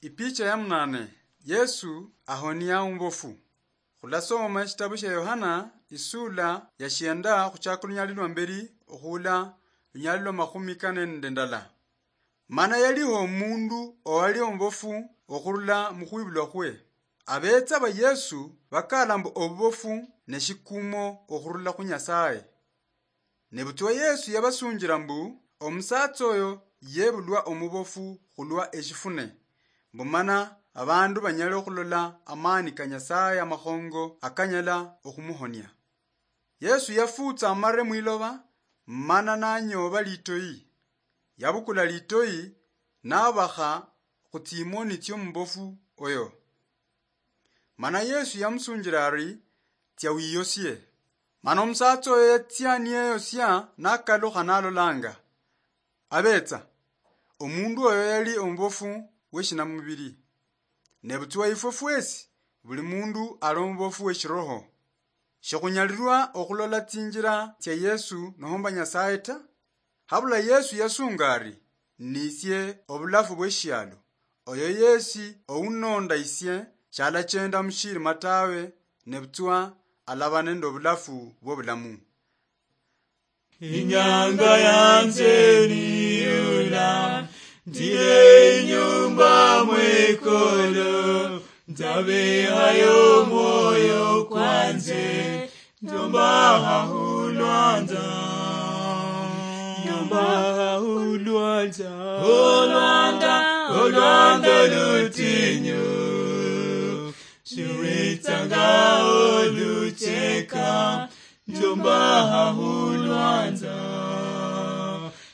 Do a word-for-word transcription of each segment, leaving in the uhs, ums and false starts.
Ipicha ya munane. Yesu ahonia omubofu. Khulasoma eshitabu shia Yohana, isula ya shienda, khuchaka olunyali lwa mberi okhuula lunyali lwa makhumi kane nende ndala. Mana yaliho omundu owali omubofu okhurula mukhwibulwa khwe. Abetsa ba Yesu bakala mbu obubofu neshikumo okhurula khu Nyasaye. Nebutswa Yesu yabasunjila mbu, omusatsa oyo yebulwa omubofu khulwa eshifune, mbu mana abandu banyale okhulola amani ka Nyasaye amakhongo akanyala okhumuhonia. Yesu yafutsa amare mwiloba, mana nanyoba litoyi. Yabukula litoyi, nabakha khutsimoni tsiomubofu oyo. Mana Yesu yamusunjila ari, tsia wiyosie. Mana omusatsa oyo yatsia niyeyosia nakalukha nalolanga. Abetsa, omundu oyo yali omubofu weshinamubili. Nebutswa ifwe fwesi, buli mundu ali omubofu weshiroho. Shikhunyalilwa okhulola tsinjila tsia Yesu nohomba Nyasaye ta. Habula Yesu yasunga ari, nisie obulafu bweshialo. Oyo yesi ounonda isie shalachenda mushirima tawe, nebutswa alaba nende obulafu bwobulamu. Inyanga yanje niyula, ndire inyumba mwekolo, ndabehayo omwoyo kwanje, ndombaha hulwanda, ndombaha hulwanda, olwanda, olwanda lutinyu, shiritsanga olucheka, ndombaha hulwanda,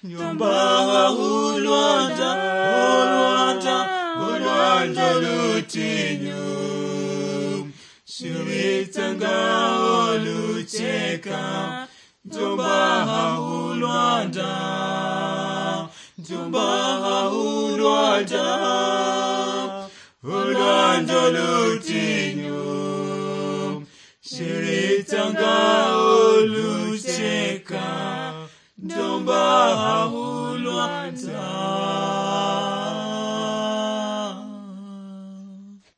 ndombaha hulwanda, olwanda, olwanda lutinyu. Shiritsanga olucheka, ndombaha hulwanda, ndombaha hulwanda, olwanda lutinyu. Shiritsanga olucheka, ndombaha hulwanda.